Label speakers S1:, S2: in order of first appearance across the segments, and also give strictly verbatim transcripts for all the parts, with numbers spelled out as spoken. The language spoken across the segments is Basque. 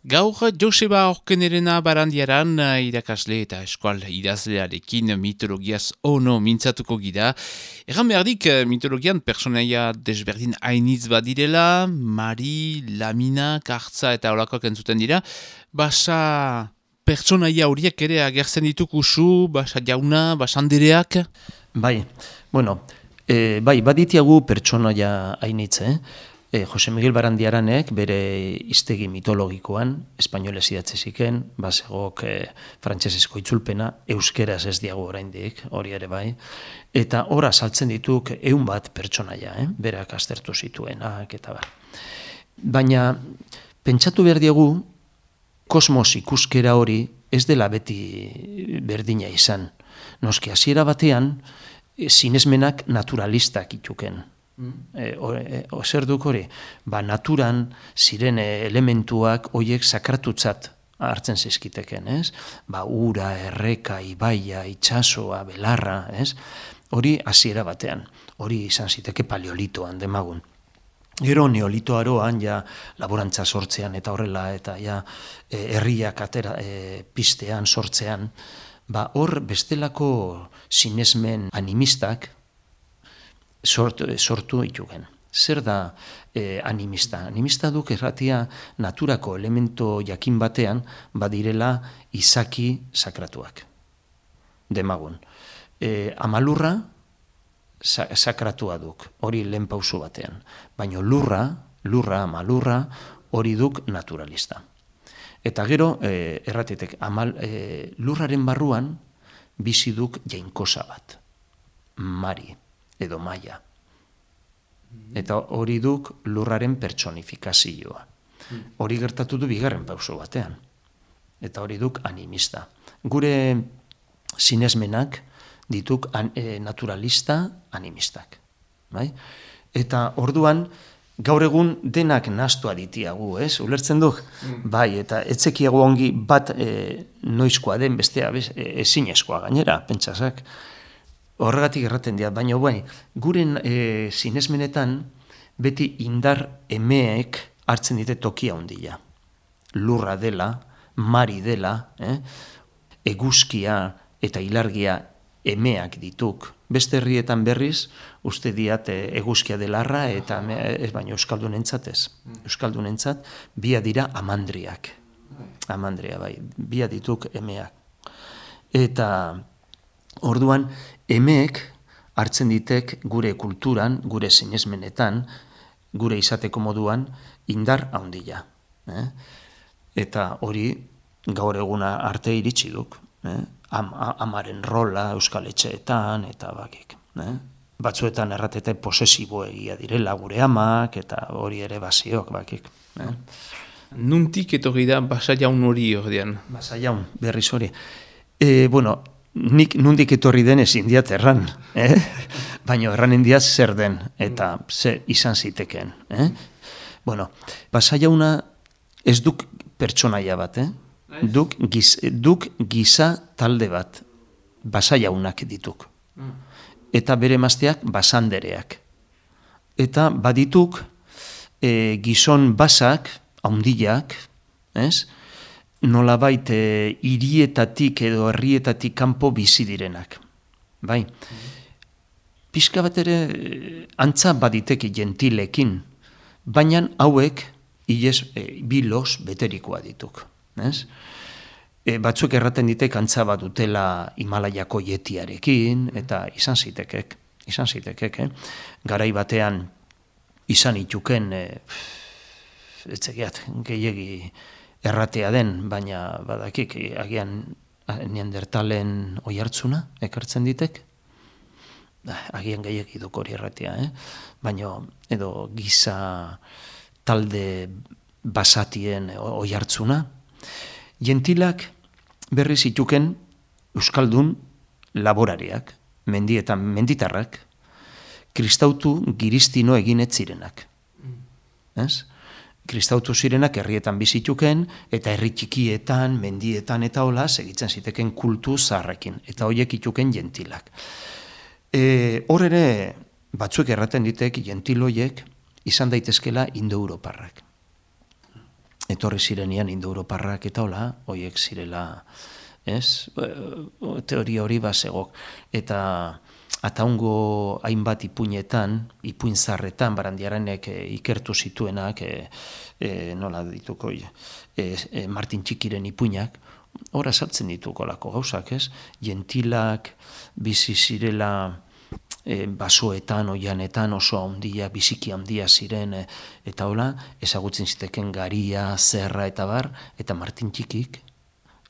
S1: Gaur Joseba Orkenerena Barandiaran irakasle eta eskual idazlearekin mitologiaz ono mintzatuko gira. Egan behardik mitologian personaia desberdin hainitz badirela, Mari, Lamina, Kartza eta holakoak entzuten dira. Basa pertsonaia horiek ere agertzen dituk usu, basa jauna, basa andereak?
S2: Bai, bueno, e, bai, baditiagu pertsonaia hainitz, eh? E, Jose Miguel Barandiaranek bere hiztegi mitologikoan, espainolez idatzi ziken, basegok e, frantsesezko itzulpena, euskeraz ez diagu oraindik, hori ere bai, eta hor azaltzen dituk ehun bat pertsonaia, eh? Berak aztertu zituenak eta bar. Baina, pentsatu behar diagu, kosmos ikuskera hori ez dela beti berdina izan. Noski, hasiera batean, e, sinesmenak naturalistak ituken. E, o, e, o, zer duk hori? Ba, naturan ziren elementuak hoiek sakratutzat hartzen zizkiteken, ez? Ba, ura, erreka, ibaia, itxasoa, belarra, ez? Hori hasiera batean. Hori izan ziteke paleolitoan demagun. Gero neolito aroan, ja, laborantza sortzean eta horrela, eta ja, e, herriak atera, e, pistean, sortzean, ba, hor bestelako sinesmen animistak sortu, sortu itugen. Zer da e, animista? Animista duk erratia naturako elemento jakin batean badirela izaki sakratuak. Demagun. E, amalurra sa, sakratua duk, hori lehen pausu batean. Baina lurra, lurra, amalurra, hori duk naturalista. Eta gero, e, erratitek, amal, e, lurraren barruan bizi duk jainkosa bat. Mari edo maia. Eta hori duk lurraren pertsonifikazioa. Hori gertatu du bigarren pauso batean. Eta hori duk animista. Gure sinesmenak dituk an, e, naturalista animistak. Bai? Eta orduan, gaur egun denak nahastua ditiagu, ez? Ulertzen duk? Mm. Bai, eta etzekiago ongi bat e, noizkoa den bestea ezinezkoa gainera, pentsasak. Horregatik erraten dira, baina bai, gure e, sinesmenetan beti indar emeek hartzen dite tokia handia. Lurra dela, mari dela, eh? Eguzkia eta ilargia emeak dituk. Beste herrietan berriz, uste diat e, eguzkia delarra eta ez baina euskaldunentzat ez. Euskaldunentzat bia dira amandriak. Amandria bai, bia dituk emeak. Eta orduan, emeek hartzen ditek gure kulturan, gure sinesmenetan, gure izateko moduan, indar handia. Eh? Eta hori gaur eguna arte iritsi duk. Eh? Am, amaren rola euskal etxeetan, eta bakik. Eh? Batzuetan erratete posesibo egia direla gure amak, eta hori ere basiok bakik. Eh?
S1: Nuntik etorri da basa jaun hori ordean?
S2: Basa jaun, berriz hori. E, bueno, nik nundik etorri den ezin diat erran, eh? Baina erran indiaz zer den, eta ze izan ziteken. Eh? Bueno, basa jauna ez duk pertsonaia bat, eh? Duk, giz, duk giza talde bat, basa jaunak dituk. Eta bere emazteak basandereak. Eta badituk e, gizon basak, haundiak, ez? Nolabait e, hirietatik edo herrietatik kanpo bizi direnak. Bai. Pixka bat ere antza baditeki gentilekin, baina hauek ilez e, bilos beterikoa dituk. Ez? E, batzuk erraten ditek antza bat dutela Himalaiako yetiarekin, eta izan zitekek, izan zitekek, eh? Garai batean izan ituken, e, etzegiat, gehiegi erratea den, baina badakik, agian neandertalen oihartzuna ekartzen ditek, agian gehiegi duk hori erratea, eh? Baina edo giza talde basatien oihartzuna. Gentilak berriz ituken euskaldun laborariak, mendietan menditarrak, kristautu giristino eginet zirenak. Ez? Kristautu zirenak herrietan bizituken, eta herri txikietan, mendietan eta hola, segitzen ziteken kultu zaharrekin, eta horiek ituken gentilak. E, hor ere, batzuk erraten ditek gentiloiek izan daitezkela indo-europarrak. etorri zirenian Indo-Europarrak eta hola, hoiek zirela, ez? Teoria hori bazegok. Eta ataungo hainbat ipuinetan, ipuin zarretan, Barandiaranek e, ikertu zituenak, e, e, nola dituko, e, e, Martin Txikiren ipuinak, hor azaltzen dituko lako gauzak, ez? Jentilak, bizi zirela e, basoetan, oianetan, oso handia, biziki handia ziren, e, eta hola, ezagutzen ziteken garia, zerra eta bar, eta Martin Txikik,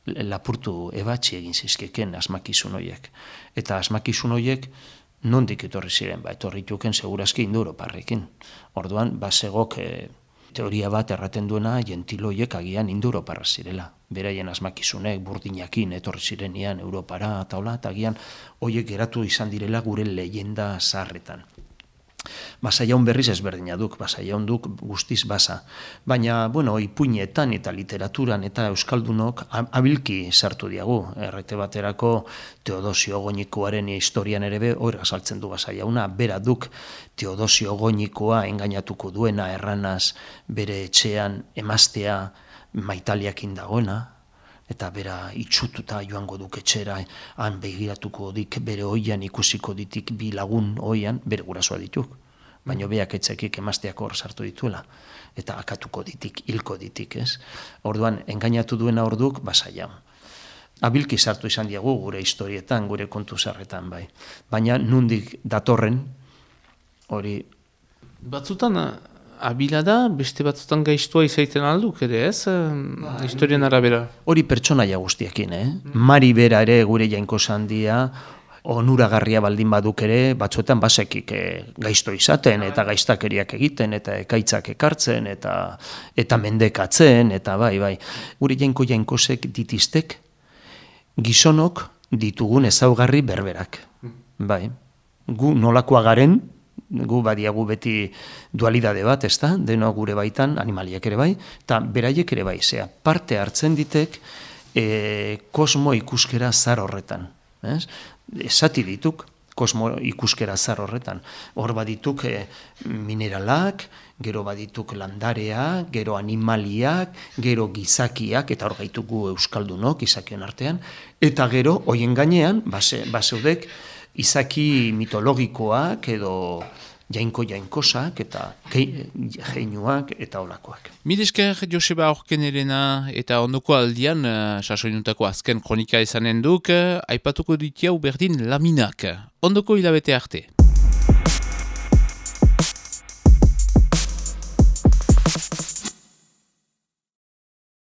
S2: lapurtu ebatzi egin zizkeken asmakizun horiek. Eta asmakizun horiek nondik etorri ziren, ba, etorri tuken segurazki Indo-Europarrekin. Orduan, basegok e, teoria bat erraten duena jentiloiek agian Indo-Europarra zirela. Beraien asmakizunek burdinakin etorri zirenian Europara eta hola, eta agian horiek geratu izan direla gure leyenda zaharretan. Basaiaun berriz ezberdina duk, basaiaun duk guztiz basa. Baina, bueno, ipuinetan eta literaturan eta euskaldunok abilki sartu diagu. Errete baterako Teodosio Goñikoaren historian ere be, hor azaltzen du basaiauna, bera duk Teodosio Goñikoa engainatuko duena erranaz bere etxean emaztea maitaliakin dagoena, eta bera itxututa joango duk etxera, han begiratuko dik bere oian ikusiko ditik bi lagun oian, bere gurasoa dituk. Baina beak etzekik emazteak hor sartu dituela, eta akatuko ditik, hilko ditik, ez? Orduan, engainatu duena orduk, basaia. Abilki sartu izan diagu gure historietan, gure kontu zarretan, bai. Baina nundik datorren, hori...
S3: Batzutan, abila da, beste batzutan gaiztua izaiten alduk ere, ez? Ba, historian arabera.
S2: Hori pertsonaia guztiekin, eh? Mm. Mari bera ere gure jainko zandia, onuragarria baldin baduk ere, batzuetan basekik e, gaizto izaten, eta gaiztakeriak egiten, eta ekaitzak ekartzen, eta eta mendekatzen, eta bai, bai. Gure jainko jainkosek ditiztek, gizonok ditugun ezaugarri berberak. Bai. Gu nolakoa garen, gu badiagu beti dualidade bat, ez da, deno gure baitan, animaliak ere bai, eta beraiek ere bai, zea, parte hartzen ditek e, kosmo ikuskera zar horretan. Ez? Esati dituk, kosmo ikuskera zar horretan. Hor badituk e, mineralak, gero badituk landarea, gero animaliak, gero gizakiak, eta hor gaitugu euskaldunok, izakien artean, eta gero, hoien gainean, base, baseudek, izaki mitologikoak edo jainko jainkosak eta jeinuak eta olakoak.
S1: Milesker Joseba Aurkenerena eta ondoko aldian, uh, sasoinutako azken kronika izanen duk, uh, aipatuko ditiau berdin laminak. Ondoko hilabete arte.